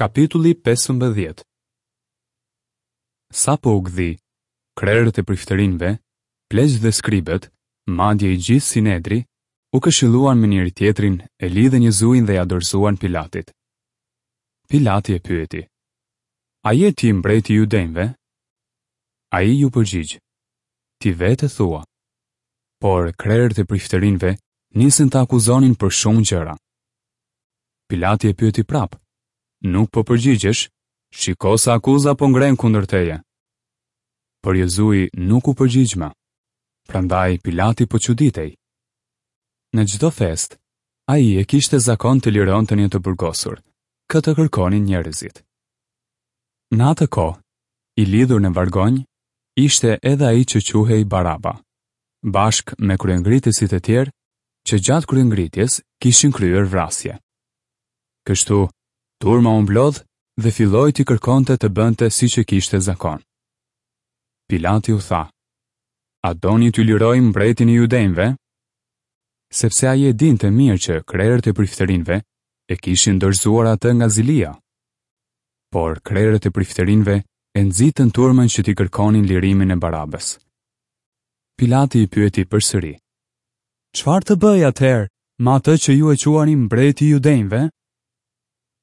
Kapitulli 15 Sapo u gdhi, krerët e priftërinjve, pleqtë dhe skribët, madje i gjithë Sinedri, u këshilluan me njëri-tjetrin e lidhën Jezuin dhe ia dorëzuan Pilatit. Pilati e pyeti, A je ti mbreti i judenjve? Ai iu përgjigj, Ti vetë e thua. Por krerët e priftërinjve nisën ta akuzonin për shumë gjëra. Pilati e pyeti prapë, Nuk po përgjigjesh? Shiko sa akuza po ngrenë kundër teje. Por Jezui nuk u përgjigj më. Prandaj Pilati po çuditej. Në çdo festë, ai e kishte zakon të lironte një të burgosur, kë të kërkonin njerëzit. Në atë kohë, i lidhur në vargonj, ishte edhe ai që quhej Baraba, bashkë me kryengritësit e tjerë që gjatë kryengritjes kishin kryer vrasje. Kështu, turma u mblodh dhe filloi t'i kërkonte të bënte siç e kishte zakon. Pilati u tha, A doni t'ju liroj mbretin e judenjve? Sepse ai e dinte mirë që krerët e priftërinjve e kishin dorëzuar atë nga zilia. Por krerët e priftërinjve e nxitën turmën që t'i kërkonin lirimin e Barabës. Pilati i pyeti përsëri, Çfarë të bëj atëherë me atë që ju e quani mbreti i judenjve?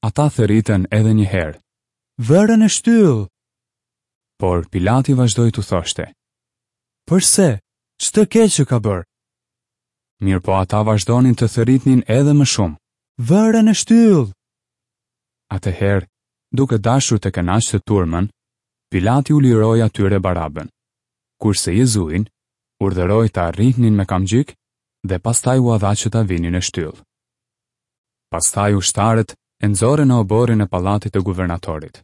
Ata thërritën edhe një herë, Vëre në shtyllë! Por Pilati vazhdoi t'u thoshte, Përse, ç'të keqe ka bërë? Mirëpo ata vazhdonin të thërritnin edhe më shumë, Vëre në shtyllë! Atëherë, duke dashur të kënaqte turmën, Pilati u liroi atyre Barabën, kurse Jezuin urdhëroi ta rrihnin me kamxhik dhe pastaj ua dha që ta vinin në shtyllë. Pastaj ushtarët e nxorën në oborrin e pallatit të guvernatorit.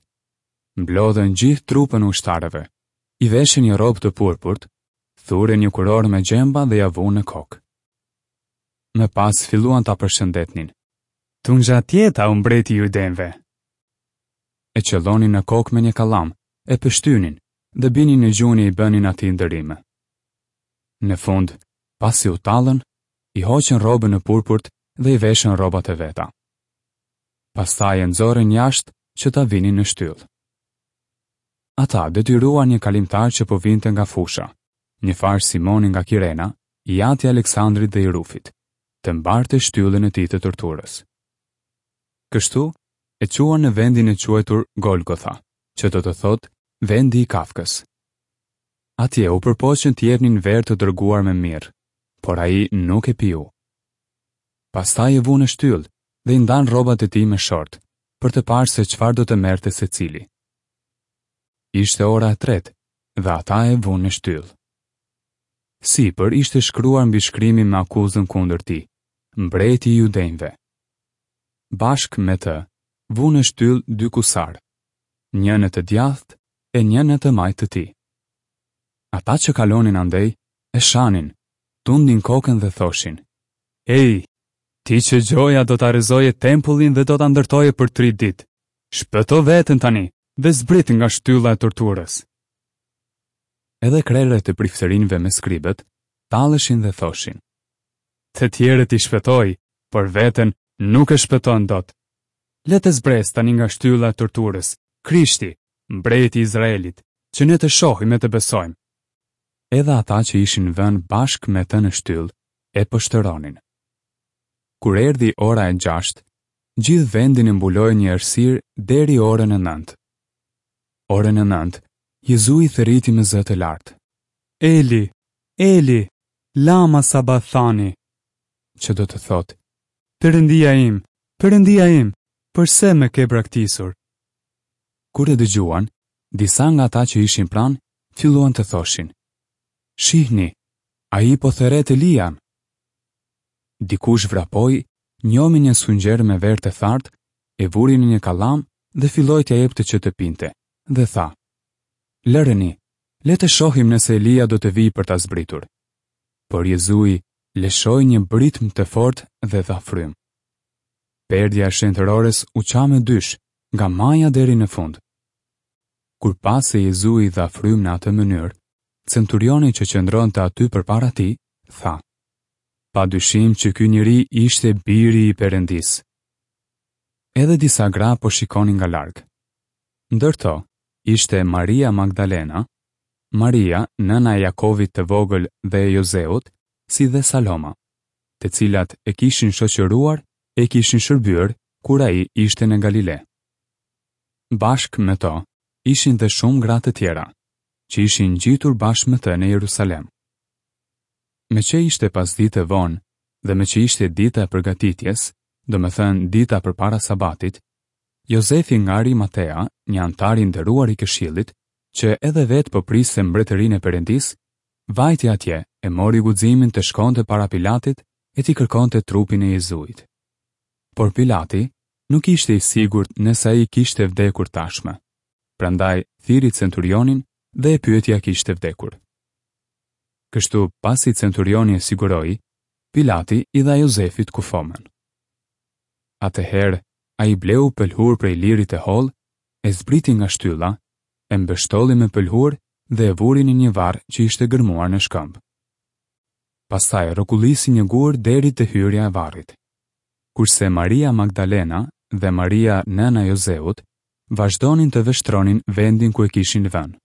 Mblodhën gjithë trupën e ushtarëve, i veshën një rrobë të purpurt, thurën një kurorë me gjemba dhe ia vunë në kokë. Më pas filluan ta përshëndetnin. Tungjatjeta o mbreti i judenjve! E qëllonin në kokë me një kallam, e pështynin dhe binin në gjunjë e i bënin atij nderime. Në fund, pasi u tallën, i hoqën rrobën e purpurt dhe i veshën rrobat e veta. Pastaj e nxorën jashtë që ta vinin në shtyllë. Ata detyruan një kalimtar që po vinte nga fusha, njëfarë Simoni nga Kirena, i ati i Aleksandrit dhe i Rufit, të mbarte shtyllën e tij të torturës. Kështu, e çuan në vendin e quajtur Golgotha, që do të thotë vendi i kafkës. Atje u përpoqën t'i jepnin verë të droguar me mirrë, por ai nuk e piu. Pastaj e vunë në shtyllë dhe i ndanë rrobat e tij me short, për të parë se çfarë do të merrte secili. Ishte ora e tretë dhe ata e vunë në shtyllë. Sipër ishte shkruar mbishkrimi me akuzën kundër tij, Mbreti i Judenjve. Bashkë me të, vunë në shtyllë dy kusarë, një në të djathtë e një në të majtë të tij. Ata që kalonin andej, e shanin, tundnin kokën dhe thoshin, Ej, ti që gjoja do ta rrëzoje tempullin dhe do ta ndërtoje për tri ditë, shpëto veten tani dhe zbrit nga shtylla e torturës. Edhe krerët e priftërinjve me skribët, talleshin dhe thoshin, Të tjerët i shpëtoi, por veten nuk e shpëton dot. Le të zbresë tani nga shtylla e torturës, Krishti, mbreti i Izraelit, që ne të shohim e të besojmë. Edhe ata që ishin vënë bashkë me të në shtyllë, e poshtëronin. Kur erdhi ora e gjashtë, gjithë vendin e mbuloi një errësirë deri orën e nëntë. Orën e nëntë, Jezui thërriti me zë të lartë. Eli, Eli, lama sabathani, që do të thotë, Perëndia im, Perëndia im, përse më ke braktisur? Kur e dëgjuan, disa nga ata që ishin pranë, filluan të thoshin, Shihni, ai po thërret Elian. Dikush vrapoi, njomi një sfungjer me verë të thartë, e vuri në një kallam dhe filloi t'ia jepte që të pinte, dhe tha, Lëreni, le të shohim nëse Elia do të vijë për ta zbritur. Por Jezui lëshoi një britmë të fortë dhe dha frymë. Perdja e shenjtërores u ça më dysh, nga maja deri në fund. Kur pa se Jezui dha frymë në atë mënyrë, centurioni që qëndronte aty përpara tij, tha, Pa dyshim që ky njeri ishte biri i Perëndisë. Edhe disa gra po shikonin nga larg. Ndër to ishte Maria Magdalena, Maria, nëna e Jakovit të vogël dhe e Jozeut, si dhe Saloma, të cilat e kishin shoqëruar e i kishin shërbyer kur ai ishte në Galile. Bashkë me to ishin dhe shumë gra të tjera, që ishin ngjitur bashkë me të në Jerusalem. Meqë ishte pasdite vonë dhe meqë ishte dita e përgatitjes, domethënë dita përpara Sabatit, Jozefi nga Arimatea, një anëtar i nderuar i këshillit, që edhe vetë po priste mbretërinë e Perëndisë, vajti atje e mori guximin të shkonte para Pilatit e t'i kërkonte trupin e Jezuit. Por Pilati nuk ishte i sigurt nëse ai kishte vdekur tashmë. Prandaj thirri centurionin dhe e pyeti a kishte vdekur. Kështu, pasi centurioni e siguroi, Pilati i dha Jozefit kufomën. Atëherë, ai bleu pëlhurë prej liri të hollë, e zbriti nga shtylla, e mbështolli me pëlhurë dhe e vuri në një varr që ishte gërmuar në shkëmb. Pastaj rrokullisi një gur deri te hyrja e varrit. Kurse Maria Magdalena dhe Maria nëna e Jozeut vazhdonin të vështronin vendin ku e kishin vënë.